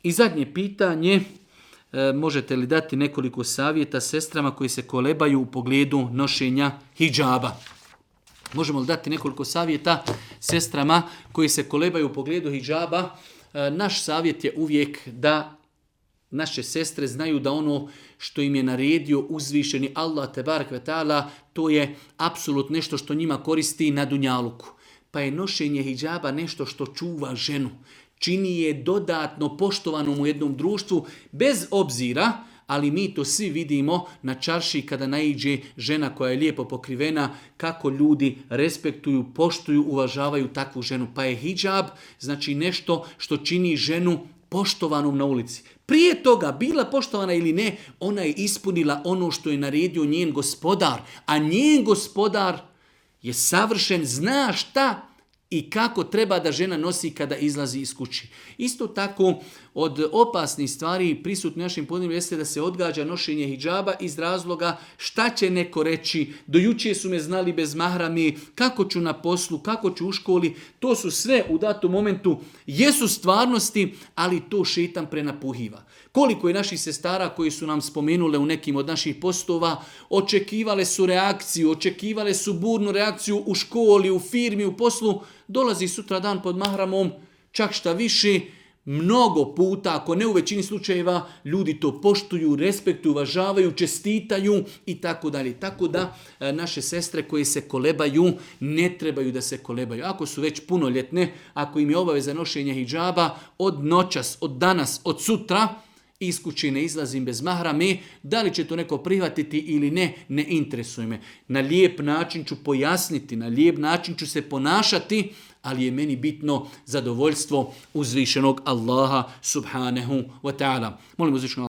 I zadnje pitanje, možete li dati nekoliko savjeta sestrama koji se kolebaju u pogledu nošenja hidžaba? Možemo li dati nekoliko savjeta sestrama koji se kolebaju u pogledu hidžaba? Naš savjet je uvijek da naše sestre znaju da ono što im je naredio uzvišeni Allah tebarek ve taala, to je apsolutno nešto što njima koristi na dunjaluku. Pa je nošenje hidžaba nešto što čuva ženu, čini je dodatno poštovanom u jednom društvu, bez obzira, ali mi to svi vidimo na čarši kada naiđe žena koja je lijepo pokrivena, kako ljudi respektuju, poštuju, uvažavaju takvu ženu. Pa je hidžab znači nešto što čini ženu poštovanom na ulici. Prije toga, bila poštovana ili ne, ona je ispunila ono što je naredio njen gospodar, a njen gospodar je savršen, zna šta i kako treba da žena nosi kada izlazi iz kući. Isto tako, od opasnih stvari prisutno našim podneblju jeste da se odgađa nošenje hidžaba iz razloga šta će neko reći, do jučer su me znali bez mahrami, kako ću na poslu, kako ću u školi, to su sve u datom momentu, jesu stvarnosti, ali to šejtan prenapuhiva. Koliko je naših sestara koji su nam spomenule u nekim od naših postova, očekivale su reakciju, očekivale su burnu reakciju u školi, u firmi, u poslu, dolazi sutra dan pod mahramom, čak šta više, mnogo puta, ako ne u većini slučajeva, ljudi to poštuju, respektuju, uvažavaju, čestitaju i tako dalje. Tako da naše sestre koje se kolebaju, ne trebaju da se kolebaju. Ako su već punoljetne, ako im je obaveza nošenja hidžaba, od noćas, od danas, od sutra, iz kuće ne izlazim bez mahrame, da li će to neko prihvatiti ili ne, ne interesuje me. Na lijep način ću pojasniti, na lijep način ću se ponašati, ali je meni bitno zadovoljstvo uzvišenog Allaha subhanahu wa ta'ala. Molim uzvišenog